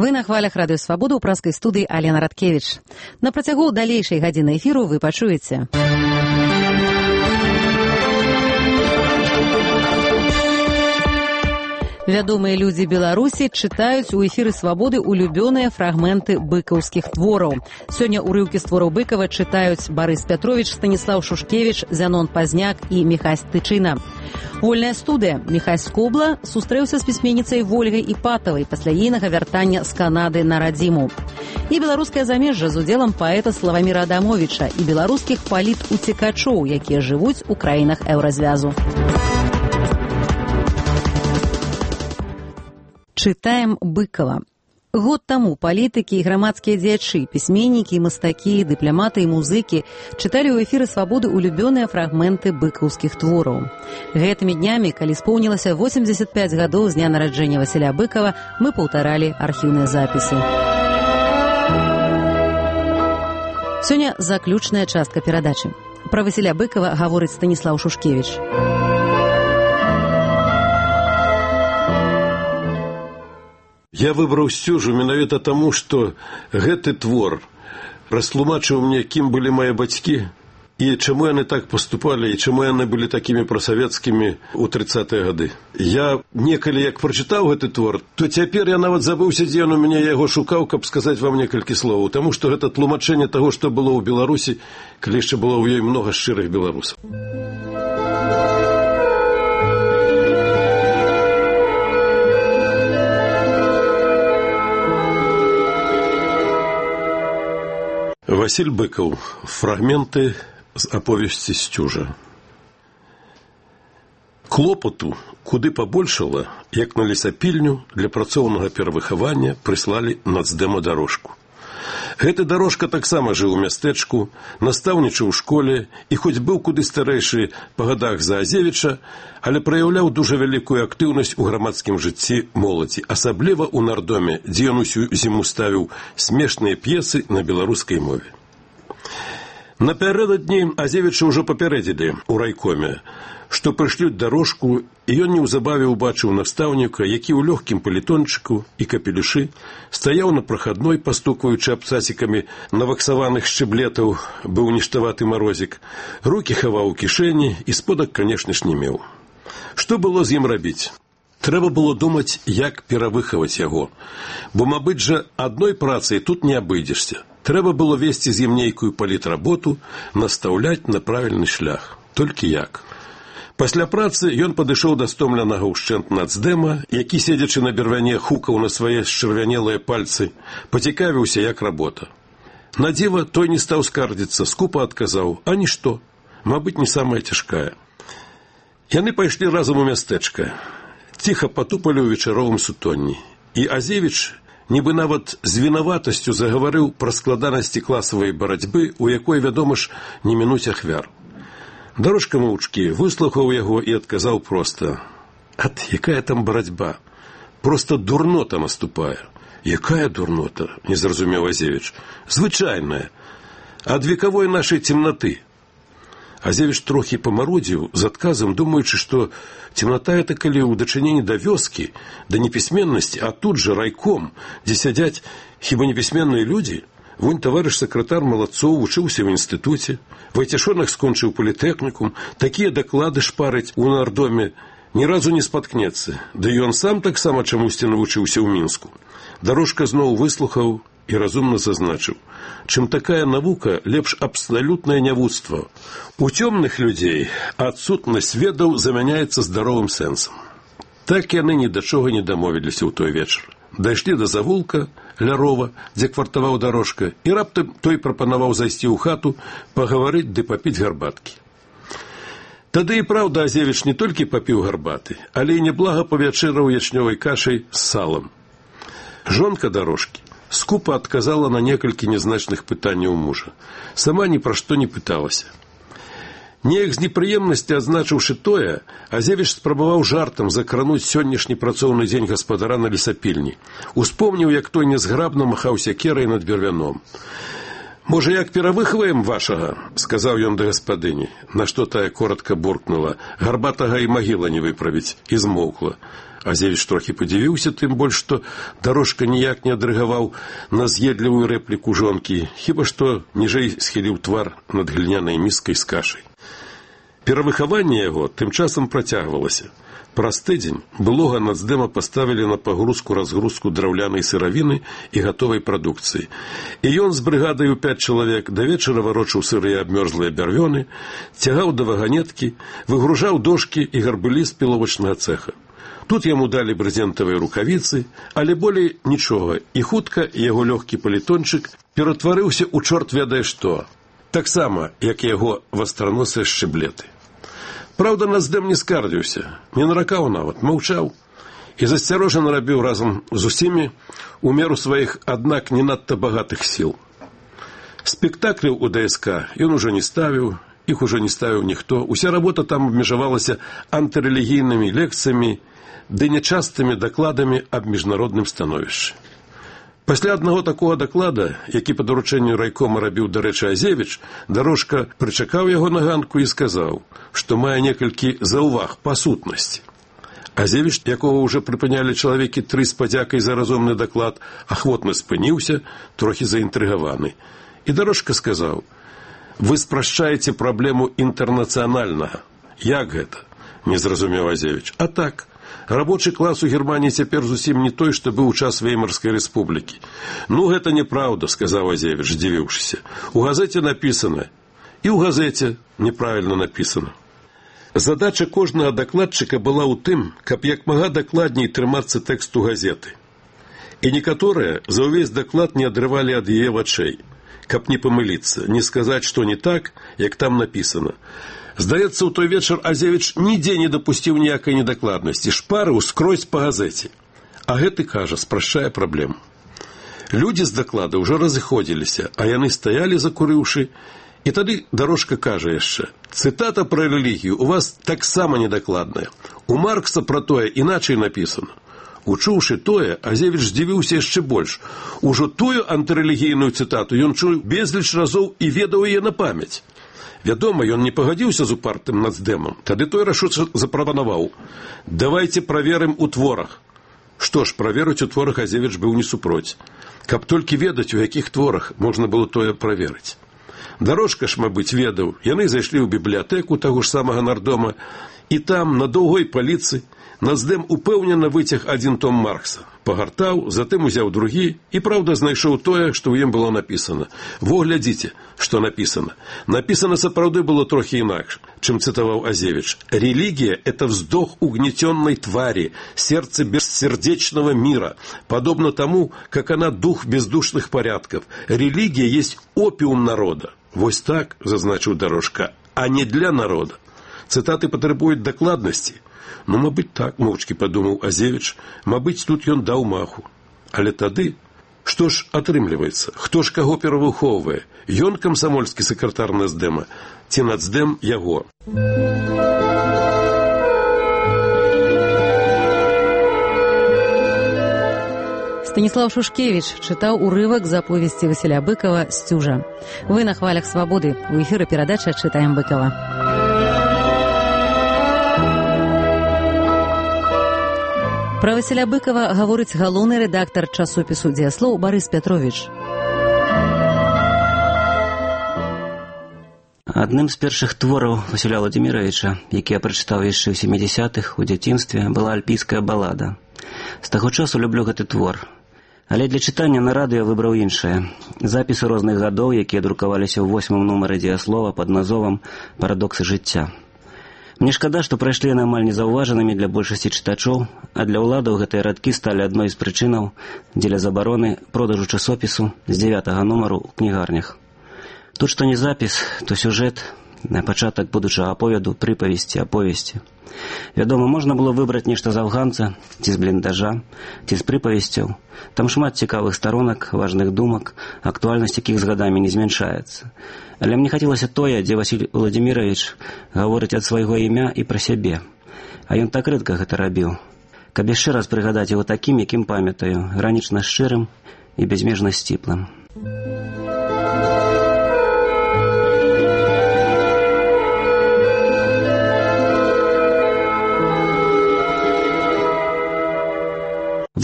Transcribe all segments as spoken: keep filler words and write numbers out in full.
Вы на хвалях Радыё Свабода ў праскай студыі Алена Радкевіч. На працягу далейшай гадзіны эфіру вы пачуеце. Вядомыя людзі Беларусі чытаюць у эфіры Свабоды улюбёныя фрагменты быкаўскіх твораў. Сёння ўрыўкі з твораў Быкава чытаюць Барыс Пятровіч, Станіслаў Шушкевіч, Зянон Пазняк і Міхась Тычына. Вольная студыя. Міхась Скобла сустрэўся з пісьменніцай Вольгай Іпатавай пасля ейнага вяртання з Канады на радзіму. І беларускае замежжа з удзелам паэта Славаміра Адамовіча і беларускіх палітуцікачоў, якія жывуць у краінах еўразвязу. Чытаем Быкава. Год таму палітыкі і грамадскія дзеячы, пісьменнікі і мастакі, дыпламаты і музыкі чыталі ў эфіры Свабоды улюбёныя фрагменты быкаўскіх твораў. Гэтымі днямі, калі споўнілася восемьдесят пять гадоў з дня нараджэння Васіля Быкава, мы паўтаралі архіўныя запісы. Сёння заключная частка перадачы. Пра Васіля Быкава гаворыць Станіслаў Шушкевіч. Я выбраў сцюжу менавіта таму, што гэты твор растлумачыў мне, кім былі мае бацькі і чаму яны так паступалі, і чаму яны былі такімі прасавецкімі ў трыццатыя гады. Я некалі як прачытаў гэты твор, то цяпер я нават забыўся, дзе ён у мяне яго шукаў, каб сказаць вам некалькі словаў, таму што гэта тлумачэнне таго, што было ў Беларусі, калі яшчэ было ў ёй многа шчырых беларусаў. Васіль Быкаў. Фрагменты з аповесці «Сцюжа». Клопату куды пабольшала, як на лесапільню для працоўнага перавыхавання прыслалі нацдэма дарожку. Гэты дарожка таксама жыў у мястэчку, настаўнічаў у школе і хоць быў куды старэйшы па гадах за Азевіча, але праяўляў дужа вялікую актыўнасць у грамадскім жыцці моладзі, асабліва ў нардоме, дзе ён усю зіму ставіў смешныя п'есы на беларускай мове. Напярэдадні Азевіча ўжо папярэдзілі ў райкоме, што прышлюць дарожку, і ён неўзабаве ўбачыў настаўніка, які ў лёгкім палітончыку і капелюшы стаяў на прахадной, пастукваючы абцасікамі наваксаваных шчыблетаў, быў ніштаваты марозік, рукі хаваў у кішэні і сподак, канешне ж, не меў. Што было з ім рабіць? Трэба было думаць, як перавыхаваць яго, бо, мабыць жа, адной працай тут не абыдзешся. Трэба было весці з ім нейкую палітработу, настаўляць на правільны шлях. Толькі як? Пасля працы ён падышоў да стомленага ўшчэнт нацдэма, які, седзячы на бервяне, хукаў на свае счырвянелыя пальцы, пацікавіўся, як работа. На дзіва той не стаў скардзіцца, скупа адказаў: «А нішто, мабыць, не самая цяжкая». Яны пайшлі разам у мястэчка, ціха патупалі ў вечаровым сутонні, і Азевіч нібы нават з вінаватасцю загаварыў пра складанасці класавай барацьбы, у якой, вядома ж, не мінуць ахвяр. Дарожка моўчкі выслухаў яго і адказаў проста: «Ат, якая там барацьба? Проста дурнота наступае». «Якая дурнота?» – не зразумеў Азевіч. «Звычайная. Ад векавой нашай цемнаты». Азевіч трохі памарудзіў з адказам, думаючы, што цемната это калі ў дачыненні да вёскі, да непісьменнасці, а тут жа райком, дзе сядзяць хіба непісьменныя людзі. Вунь таварыш сакратар Малацоў вучыўся ў інстытуце, Вайцяшонах скончыў політэхнікум, такія даклады шпарыць у нардоме, ні разу не спаткнецца, да і ён сам таксама чамусьці навучыўся ў Мінску. Дарожка зноў выслухаў і разумна зазначыў: чым такая навука, лепш абсалютнае нявуцтва. У цёмных людзей адсутнасць ведаў замяняецца здаровым сэнсам. Так яны ні да чога не дамовіліся ў той вечар. Дайшлі да завулка ля рова, дзе квартаваў дарожка, і раптам той прапанаваў зайсці ў хату, пагаварыць ды папіць гарбаткі. Тады і праўда Азевіч не толькі папіў гарбаты, але і неблага павячэраў ячнёвай кашай з салам. Жонка дарожкі скупа адказала на некалькі нязначных пытанняў мужа. Сама ні пра што не пыталася. Неяк з непрыемнасці адзначыўшы тое, Азевіч спрабаваў жартам закрануць сённяшні працоўны дзень гаспадара на лесапільні. Успомніў, як той нязграбна махаў сякерай над бервяном. «Можа, як перавыхваем вашага?» – сказаў ён да гаспадыні, на што тая коротка буркнула: «Гарбатага і магіла не выправіць», і змоўкла. Азевіч трохі падзівіўся, тым больш, што Дарожка ніяк не адрэагаваў на з'едлівую рэпліку жонкі, хіба што ніжэй схіліў твар над глінянай міскай з кашай. Перавыхаванне яго тым часам працягвалася. Праз тыдзень былога нацдэма паставілі на пагрузку-разгрузку драўлянай сыравіны і гатовай прадукцыі. І ён з брыгадай у пяць чалавек да вечара варочаў сырыя абмёрзлыя бярвёны, цягаў да ваганеткі, выгружаў дошкі і гарбылі з піловачнага цэха. Тут яму далі брызентавыя рукавіцы, але болей нічога, і хутка яго лёгкі палітончык ператварыўся ў чорт ведае што. Таксама, як і яго вастраносыя шчыблеты. Праўда, нацдэм не скардзіўся, не наракаў нават, маўчаў і засцярожана рабіў разам з усімі у меру сваіх, аднак не надта багатых сіл. Спектакляў у ДСК ён ужо не ставіў, іх ужо не ставіў ніхто, уся работа там абмежавалася антырэлігійнымі лекцыямі ды нячастымі дакладамі аб міжнародным становішчы. Пасля аднаго такога даклада, які па даручэнню райкома рабіў, дарэчы, Азевіч, Дарожка прычакаў яго на ганку і сказаў, што мае некалькі заўваг па сутнасці. Азевіч, якога ўжо прыпынялі чалавекі тры з падзякай за разумны даклад, ахвотна спыніўся, трохі заінтрыгаваны. І Дарожка сказаў: «Вы спрашчаеце праблему інтэрнацыянальнага». «Як гэта?» – не зразумеў Азевіч. «А так. Рабочы клас у Германії цяпер зусім не той, што быў у час Веймарскай рэспублікі». «Ну, гэта неправда», – сказаў Азевіч, здзівіўшыся. «У газеце напісана». І ў газеце неправільна напісана. Задача кожнага дакладчыка была ў тым, каб як мага дакладней трымацца тэксту газеты. І некаторыя за ўвесь даклад не адрывалі ад яе вачэй, каб не памыліцца, не сказаць, што не так, як там напісана. Здаецца, у той вечар Азевіч нідзе не дапусціў ніякай недакладнасці, шпарыў скрозь па газеце. А гэты, кажа, спрашчае праблему. Людзі з даклада ўжо разыходзіліся, а яны стаялі, закурыўшы, і тады Дарожка кажа яшчэ: «Цытата пра рэлігію у вас таксама недакладная. У Маркса пра тое іначай напісана». Учуўшы тое, Азевіч здзівіўся яшчэ больш. Ужо тую антырэлігійную цытату ён чуў безліч разоў і ведаў яе на памяць. Вядома, ён не пагадзіўся з упартым нацдэмам. Тады той рашуча запрапанаваў: «Давайце праверым у творах». Што ж, праверыць у творах Азевіч быў не супроць. Каб толькі ведаць, у якіх творах можна было тое праверыць. Дарожка ж, мабыць, ведаў. Яны зайшлі ў бібліятэку таго ж самага нардома, і там, на доўгой паліцы, нацдэм упэўнена выцяг адзін том Маркса. Пагартаў, затым узяў другі і, праўда, знайшоў тое, што ў ім было напісана. Во, глядзіце, што напісана. Напісана сапраўды было трохі інакш, чым цытаваў Азевіч. «Религия – это вздох угнетенной твари, сердце бессердечного мира, подобно тому, как она дух бездушных порядков. Религия есть опиум народа». Вось так, зазначыў Дарожка, а не для народа. Цытаты патрабуюць дакладнасці. Ну, мабыць, так, моўчкі падумаў Азевіч, мабыць, тут ён даў маху. Але тады, што ж атрымліваецца? Хто ж каго перавыхоўвае? Ён камсамольскі сакратар нацдэма, ці нацдэм яго? Станіслаў Шушкевіч чытаў урывак з аповесці Васіля Быкова «Сцюжа». Вы на хвалях свабоды. У эфіры перадача «Чытаем Быкова». Пра Васіля Быкова гаворыць галоўны рэдактар часопісу «Дзеяслоў» Барыс Пятровіч. Адным з першых твораў Васіля Владзіміровіча, які я прачытаў яшчэ ў сямідзясятых у дзяцінстве, была альпійская балада. З таго часу люблю гэты твор. Але для чытання на радыё выбраў іншае. Запісы розных гадоў, якія друкаваліся ў восьмым нумары «Дзеяслова» пад назовам «Парадоксы жыцця». Мне шкада, што прайшлі яны амаль незаўважанымі для большасці чытачоў, а для ўладаў гэтыя радкі сталі адной з прычынаў дзеля забароны продажу часопісу з дзявятага нумару ў кнігарнях. Тут што не запіс, то сюжэт, на пачатак будучага аповеду, прыпавесці, аповесці. Вядома, можна было выбраць нешта з афганца, ці з бліндажа, ці з прыпавесцяў. Там шмат цікавых старонак, важных думак, актуальнасць якіх з гадамі не змяншаецца. Але мне хацелася тое, дзе Васіль Владзіміровіч гаворыць ад свайго імя і пра сябе. А ён так рэдка гэта рабіў. Каб яшчэ раз прыгадаць яго такім, якім памятаю, гранічна шчырым і бязмежна сціплым.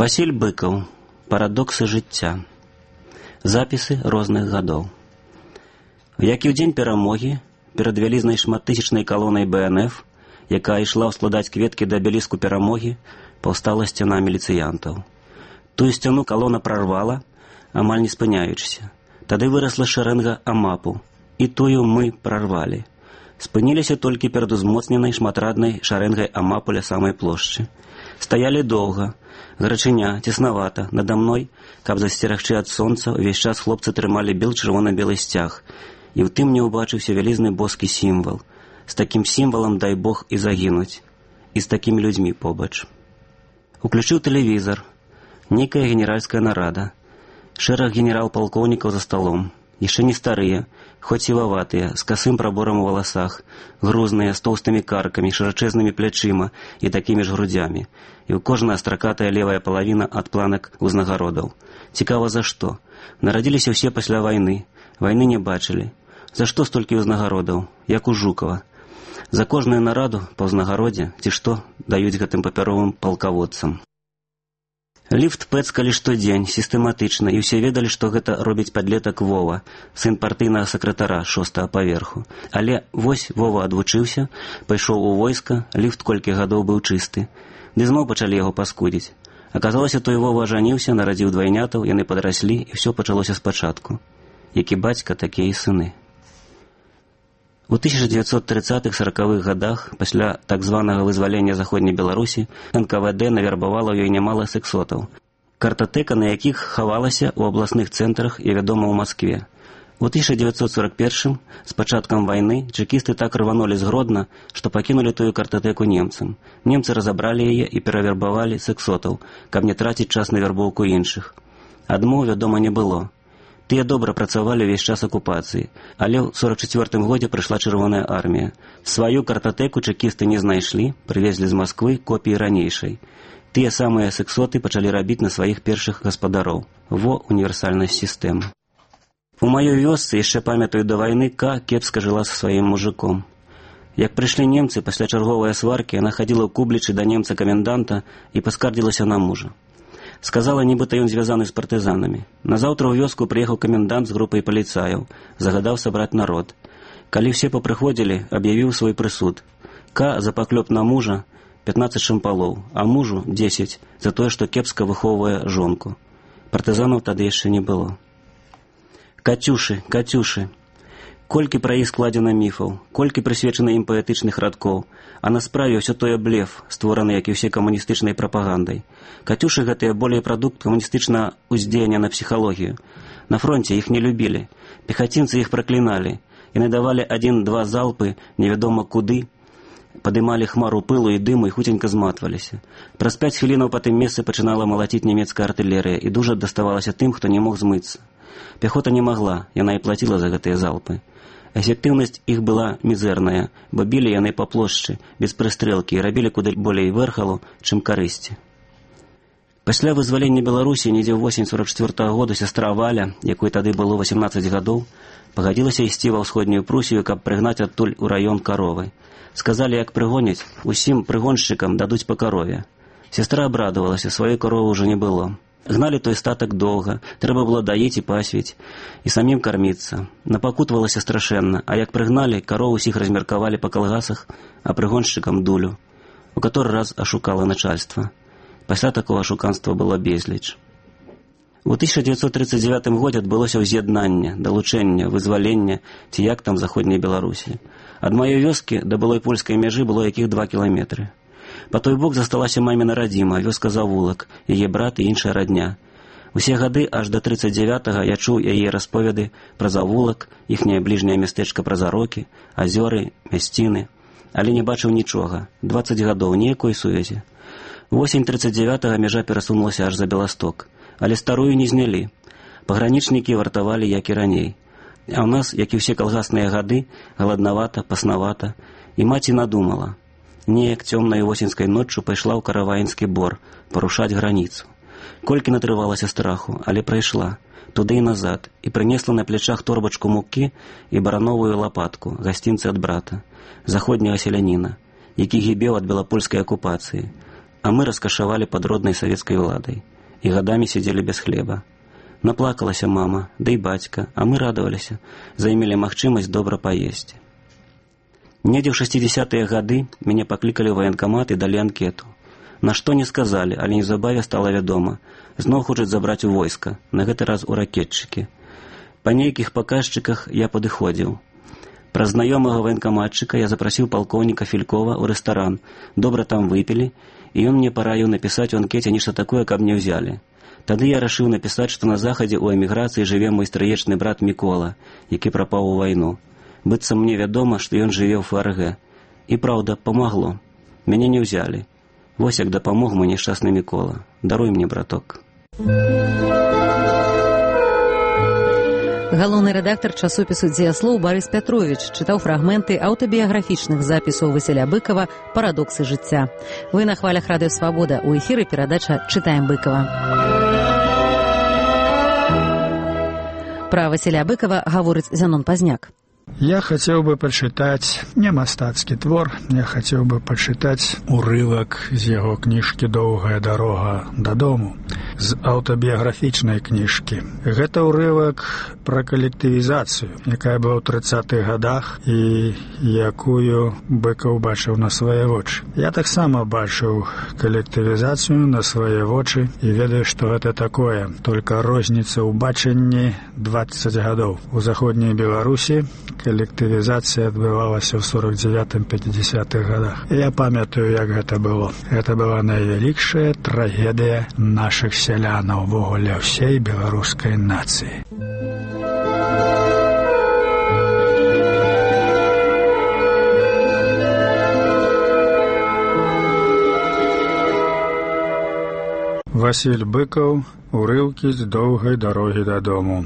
Васіль Быкаў. Парадоксы жыцця. Запісы розных гадоў. Як і ў дзень перамогі, перад вялізнай шматтысячнай калонай бэ эн эф, якая ішла ўскладаць кветкі да абеліску перамогі, паўстала сцяна міліцыянтаў. Тую сцяну калона прарвала, амаль не спыняючыся. Тады вырасла шэрэнга амапу, і тую мы прарвалі. Спыніліся толькі перад узмоцненай шматраднай шарэнгай амапу ля самай плошчы. Стаялі доўга, гарачыня, цеснавата, нада мной, каб засцерагчы ад сонца, увесь час хлопцы трымалі бел чырвона-белы сцяг, і ў тым мне ўбачыўся вялізны боскі сімвал. З такім сімвалам, дай Бог, і загінуць. І з такімі людзьмі побач. Уключыў тэлевізор. Нейкая генеральская нарада. Шэраг генерал-палкоўнікаў за сталом. Яшчэ не старыя, хоць сіваватыя, з касым праборам у валасах, грузныя, з тоўстымі каркамі, шырачэзнымі плячыма і такімі ж грудзямі. І ў кожная стракатая левая палавіна ад планак узнагародаў. Цікава, за што? Нарадзіліся ўсе пасля вайны. Вайны не бачылі. За што столькі ўзнагародаў, як у Жукава? За кожную нараду па ўзнагародзе, ці што, даюць гэтым папяровым палкаводцам. Ліфт пэцкалі штодзень, сістэматычна, і ўсе ведалі, што гэта робіць падлетак Вова, сын партыйнага сакратара шостага паверху. Але вось Вова адвучыўся, пайшоў у войска, ліфт колькі гадоў быў чысты. Ды зноў пачалі яго паскудзіць. Аказалася, той Вова ажаніўся, нарадзіў двайнятаў, яны падраслі, і ўсё пачалося спачатку. Які бацька, такія і сыны. У тысяча дзевяцьсот трыццатых саракавых гадах, пасля так званага вызвалення Заходняй Беларусі, эн ка вэ дэ навярбавала ў ёй нямала сексотаў, картатэка на якіх хавалася ў абласных цэнтрах і вядома ў Маскве. У тысяча дзевяцьсот сорак першым, з пачаткам вайны, чэкісты так рванулі з Гродна, што пакінулі тую картатэку немцам. Немцы разабралі яе і перавербавалі сексотаў, каб не траціць час на вярбоўку іншых. Адмоў, вядома, не было. Тыя добра працавалі ўвесь час акупацыі, але ў сорак чацвёртым годзе прыйшла Чырвоная армія. Сваю картатэку чэкісты не знайшлі, прывезлі з Масквы копіі ранейшай. Тыя самыя сексоты пачалі рабіць на сваіх першых гаспадароў. Во універсальнасць сістэмы. У маёй вёсцы, яшчэ памятаю, да вайны Ка кепска жыла са сваім мужиком. Як прыйшлі немцы, пасля чарговай сваркі, яна хадзіла ў Кублічы да немца-каменданта і паскардзілася на мужа. Сказала, нібыта ён звязаны з партызанамі. Назаўтра ў вёску прыехаў камендант з групай паліцаяў, загадаў сабраць народ. Калі ўсе папрыходзілі, аб'явіў свой прысуд. Ка за паклёп на мужа пятнаццаць шампалоў, а мужу дзесяць за тое, што кепска выхоўвае жонку. Партызанаў тады яшчэ не было. Кацюшы, Кацюшы. Колькі пра іх складзена міфаў, колькі прысвечана ім паэтычных радкоў, а на справе ўсё тое блеф, створаны, як і ўсе камуністычнай прапагандай. Кацюшы гэтыя болей прадукт камуністычнага ўздзеяння на псіхалогію. На фронце іх не любілі, пехацінцы іх пракліналі, яны давалі адзін-два залпы, невядома куды, падымалі хмару пылу і дыму і хуценька зматваліся. Праз пяць хвілінаў па тым месцы пачынала малаціць нямецкая артылерыя, і дужа даставалася тым, хто не мог змыцца. Пяхота не магла, яна і плаціла за гэтыя залпы. Эфектыўнасць іх была мізэрная, бо білі яны па плошчы, без прыстрэлкі і рабілі куды болей вэрхалу, чым карысці. Пасля вызвалення Беларусі недзе ў восень сорак чацвёртага года сястра Валя, якой тады было васямнаццаць гадоў, пагадзілася ісці ва ўсходнюю Прусію, каб прыгнаць адтуль у раён каровы. Сказалі, як прыгоняць, усім прыгоншчыкам дадуць па карове. Сястра абрадавалася, сваёй каровы ўжо не было. Гналі той статак доўга, трэба было даіць і пасвіць, і самім карміцца. Напакутвалася страшэнна, а як прыгналі, карову ўсіх размеркавалі па калгасах, а прыгоншчыкам дулю, у каторы раз ашукала начальства. Пасля такога ашуканства было безліч. У тысяча дзевяцьсот трыццаць дзевятым годзе адбылося ўз'яднанне, далучэнне, вызвалення, ці як там Заходняй Беларусі. Ад маёй вёскі да былой польскай мяжы было якіх два кіламетры. Па той бок засталася маміна радзіма, вёска Завулак, яе брат і іншая радня. Усе гады аж да трыццаць дзевятага я чуў яе расповеды пра Завулак, іхняе бліжняе мястэчка пра Зарокі, азёры, мясціны, але не бачыў нічога. дваццаць гадоў, ніякой сувязі. Восень трыццаць дзевятага мяжа перасунулася аж за Беласток, але старую не знялі. Пагранічнікі вартавалі, як і раней. А ў нас, як і ўсе калгасныя гады, галаднавата, паснавата, і маці надумала. Неяк цёмнай восеньскай ноччу пайшла ў Караваінскі бор парушаць граніцу. Колькі натрывалася страху, але прайшла, туды і назад, і прынесла на плячах торбачку мукі і барановую лапатку, гасцінцы ад брата, заходняга селяніна, які гібеў ад белапольскай акупацыі, а мы раскашавалі пад роднай савецкай уладай. і гадамі сидзелі без хлеба. Наплакалася мама, да і бацька, а мы радаваліся, займелі магчымасць добра паесці. Недзе ў шэсцідзесятыя гады мяне паклікалі ў ваенкамат і далі анкету. На што не сказалі, але неўзабаве стала вядома. Зноў хочуць забраць у войска, на гэты раз у ракетчыкі. Па нейкіх паказчыках я падыходзіў. Праз знаёмага ваенкаматчыка я запрасіў палкоўніка Фількова ў рэстаран. Добра там выпілі, і ён мне параіў напісаць у анкеце нешта такое, каб не ўзялі. Тады я рашыў напісаць, што на захадзе ў эміграцыі жыве мой стрыечны брат Мікола, які прапаў у вайну. Быццам мне вядома, што ён жыве ў эф эр гэ. І праўда, памагло. Мяне не ўзялі. Вось як дапамог мой няшчасны Мікола. Даруй мне, браток. Галоўны рэдактар часопісу «Дзеяслоў» Барыс Пятровіч чытаў фрагменты аўтабіяграфічных запісаў Васіля Быкава «Парадоксы жыцця». Вы на хвалях радыё «Свабода». У эфіры перадача «Чытаем Быкава». Пра Васіля Быкава гаворыць Зянон Пазняк. Я хотел бы почитать не мастацкі твор, я хотел бы почитать урывак з яго кніжкі «Доўгая дарога дадому», з аўтабіяграфічнай кніжкі. Гэта ўрывак пра калектывізацыю, якая была ў трыццатых гадах і якую Быкаў бачыў на свае вочы. Я таксама бачыў калектывізацыю на свае вочы і ведаю, што гэта такое. Только розніца ў бачанні дваццаць гадоў. У заходняй Беларусі калектывізацыя адбывалася ў сорок дзевятым — пяцідзясятых гадах. Я памятаю, як гэта было. Гэта была найвялікшая трагедыя нашых сялянаў, увогуле ўсей беларускай нацыі. Васіль Быкаў, урыўкі з «Доўгай дарогі дадому».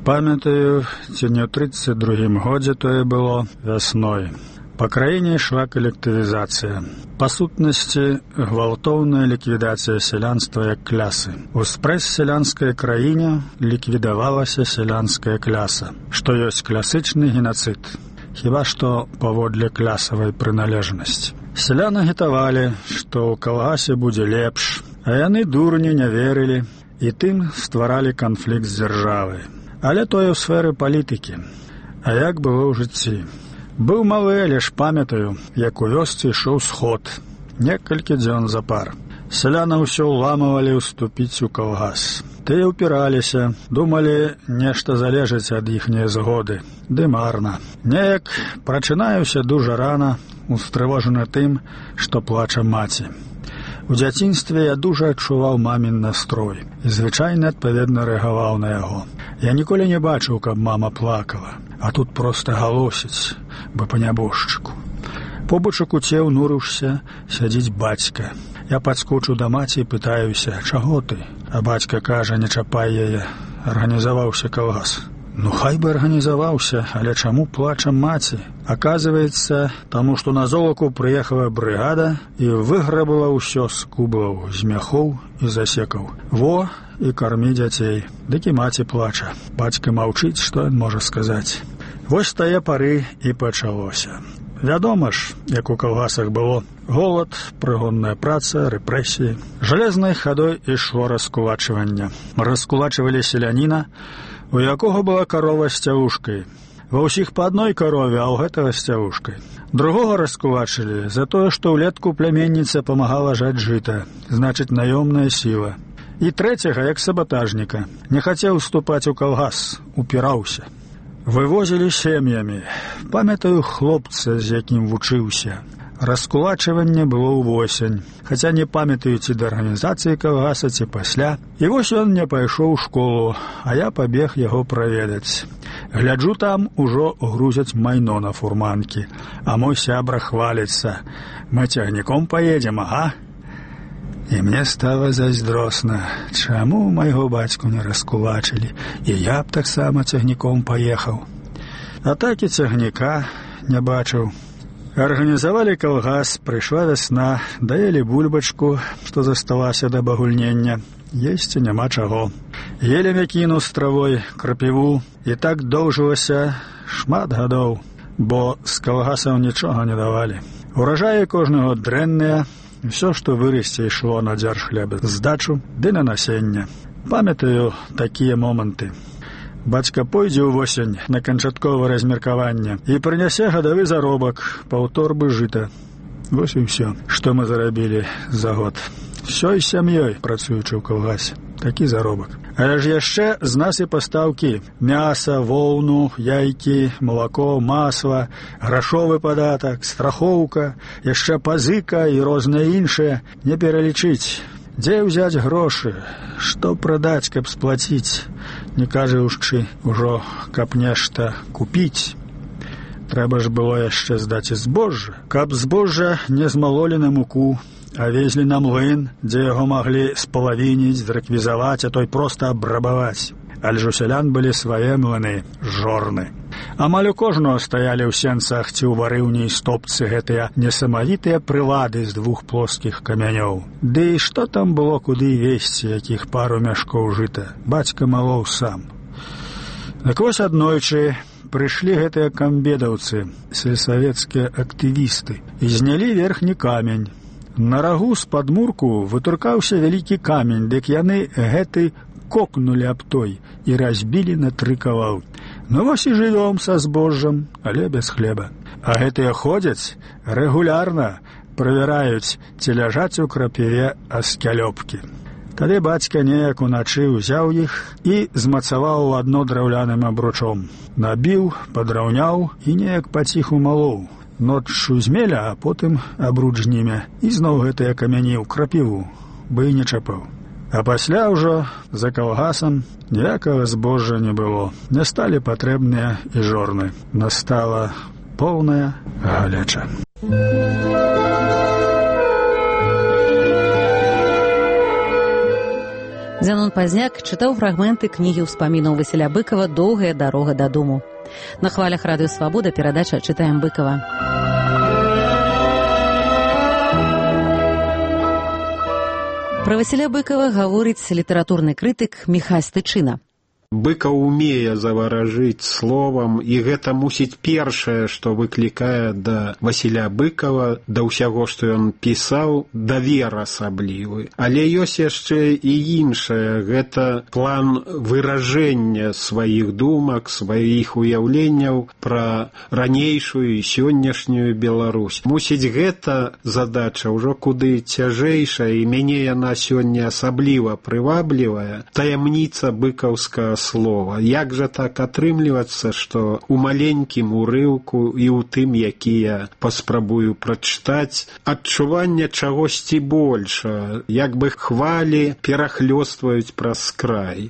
Памятаю, ці не ў трыццаць другім годзе тое было вясной. Па краіне ішла калектывізацыя. Па сутнасці, гвалтоўная ліквідацыя сялянства як клясы. У спрэс-сялянскай краіне ліквідавалася сялянская кляса, што ёсць класычны генацыд, хіба што паводле клясавай прыналежнасці. Сяляны агітавалі, што ў калгасе будзе лепш, а яны дурні не верылі і тым стваралі канфлікт з дзяржавай. Але тое ў сферы палітыкі. А як было ў жыцці? Быў малы, але ж памятаю, як у вёсцы ішоў сход. Некалькі дзён запар. Сяляна ўсё ўламывалі ўступіць у калгас. Тыя ўпіраліся, думалі, нешта залежыць ад іхняй згоды. Ды марна. Неяк прачынаюся дужа рана, устрывожаны тым, што плача маці. У дзяцінстве я дужа адчуваў мамін настрой і звычайна адпаведна рэагаваў на яго. Я ніколі не бачыў, каб мама плакала, а тут проста галосіць, бы па нябожчыку. Побач у куце ўнурыўся, сядзіць бацька. Я падскочу да маці і пытаюся, чаго ты? А бацька кажа, не чапай яе, арганізаваўся калгас. Ну, хай бы арганізаваўся, але чаму плача маці? Аказваецца, таму што на золаку прыехала брыгада і выграбала ўсё з кублаў, з мяхоў і засекаў. Во, і кармі дзяцей. Дык і маці плача. Бацька маўчыць, што ён можа сказаць. Вось тае пары і пачалося. Вядома ж, як у калгасах было. Голад, прыгонная праца, рэпрэсіі. Жалезнай хадой ішло раскулачванне. Раскулачвалі селяніна, у якога была карова з цявушкай. Ва ўсіх па адной карове, а ў гэтага з цявушкай. Другога раскулачылі за тое, што ўлетку пляменніца памагала жаць жыта, значыць, наёмная сіла. І трэцяга, як сабатажніка, не хацеў уступаць у калгас, упіраўся. Вывозілі сем'ямі. Памятаю хлопца, з якім вучыўся. Раскулачванне было ўвосень, хаця не памятаю, ці да арганізацыі калгаса, ці пасля. І вось ён не пайшоў у школу, а я пабег яго праведаць. Гляджу, там ужо грузяць майно на фурманкі, а мой сябра хваліцца. Мы цягніком паедзем, ага? І мне стала зайздросна, чаму майго бацьку не раскулачылі, і я б таксама цягніком паехаў. А так і цягніка не бачыў. Арганізавалі калгас, прыйшла вясна, даелі бульбачку, што засталася да багульнення. Есці няма чаго. Елі мякіну з травой, крапіву, і так доўжылася шмат гадоў, бо з калгасаў нічога не давалі. Уражаі кожны год дрэнныя, Усё, што вырасце, ішло на дзяржхлеб, здачу ды на насенне. Памятаю такія моманты. Бацька пойдзе ўвосень на канчатковае размеркаванне і прынясе гадавы заробак, паўторбы жыта. Вось і ўсё, што мы зарабілі за год. Всёй сям'ёй працуючы ў калгасе. Такі заробак. Але ж яшчэ з нас і пастаўкі. Мяса, воўну, яйкі, малако, масла, грашовы падатак, страхоўка, яшчэ пазыка і рознае іншае. Не пералічыць. Дзе ўзяць грошы? Што прадаць, каб сплаціць? Не кажучы ўжо, каб нешта купіць. Трэба ж было яшчэ здаць і збожжа. Каб збожжа не змалолі на муку, а везлі на млын, дзе яго маглі спалавініць, зрэквізаваць, а той проста абрабаваць. Але ж у сялян былі свае млыны, жорны. Амаль у кожного стаялі ў сенцах ці ў варыўні і стопцы гэтыя несамавітыя прылады з двух плоскіх камянёў. Ды і што там было куды везці, якіх пару мяшкоў жыта? Бацька малоў сам. Так вось аднойчы прыйшлі гэтыя камбедаўцы, сельсавецкія актывісты, і знялі верхні камень. На рагу з падмурку вытуркаўся вялікі камень, дык яны гэты кокнулі аб той і разбілі на тры кавалкі. Ну вось і жывём са збожжам, але без хлеба. А гэтыя ходзяць рэгулярна, правяраюць, ці ляжаць у крапіве аскялёпкі. Тады бацька неяк уначы ўзяў іх і змацаваў у адно драўляным абручом. Набіў, падраўняў і неяк паціху малоў. Ноччу змеля, а потым абруч знімя. І зноў гэтыя камяні ў крапіву, бы і не чапаў. А пасля ўжо за калгасам ніякага збожжа не было. Не сталі патрэбныя і жорны. Настала поўная галеча. Зянон Пазняк чытаў фрагменты кнігі ўспамінаў Васіля Быкава «Доўгая дарога дадому». На хвалях радыё «Свабода» перадача «Чытаем Быкава». Пра Васіля Быкава гаворыць літаратурны крытык Міхась Тычына. Быкаў умее заваражыць словам, і гэта мусіць першае, што выклікае да Васіля Быкава, да ўсяго, што ён пісаў, давер асаблівы. Але ёсць яшчэ і іншае, гэта план выражэння сваіх думак, сваіх уяўленняў пра ранейшую і сённяшнюю Беларусь. Мусіць, гэта задача ўжо куды цяжэйшая, і мяне яна сёння асабліва прываблівая. Таямніца быкаўскага слова. Як жа так атрымлівацца, што у маленькім урыўку і ў тым, які я паспрабую прачытаць, адчуванне чагосьці больша, як бы хвалі перахлёстваюць праз край.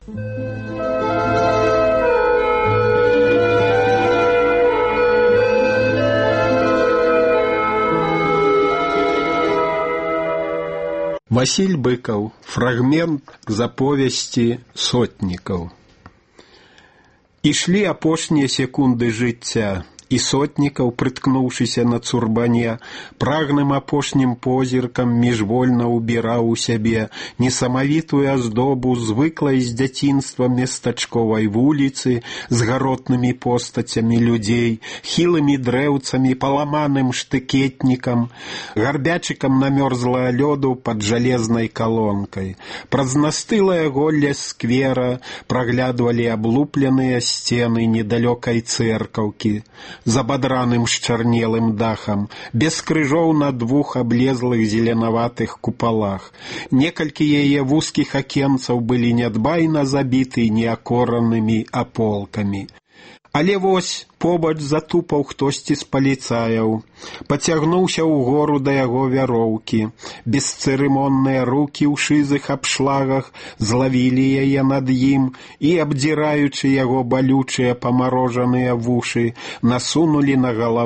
Васіль Быкаў. Фрагмент з аповесці «Сотнікаў». Ішлі апошнія секунды жыцця, і Сотнікаў, прыткнуўшыся на цурбане, прагным апошнім позіркам міжвольна ўбіраў у сябе несамавітую аздобу звыклай з дзяцінства местачковай вуліцы з гаротнымі постацямі людзей, хілымі дрэўцамі, паламаным штыкетнікам, гарбячыкам намёрзлага лёду пад жалезнай калонкай. Праз настылае голле сквера праглядвалі аблупленыя сцены недалёкай цэркаўкі, з абадраным шчарнелым дахам, без крыжоў на двух аблезлых зеленаватых купалах. Некалькі яе вузкіх акенцаў былі нядбайна забіты неакоранымі аполкамі. Але вось побач затупаў хтосьці з паліцаяў. Пацягнуўся ўгору да яго вяроўкі. Бесцырымонныя рукі ў шызых абшлагах злавілі яе над ім і, абдзіраючы яго балючыя памарожаныя вушы, насунулі на галаву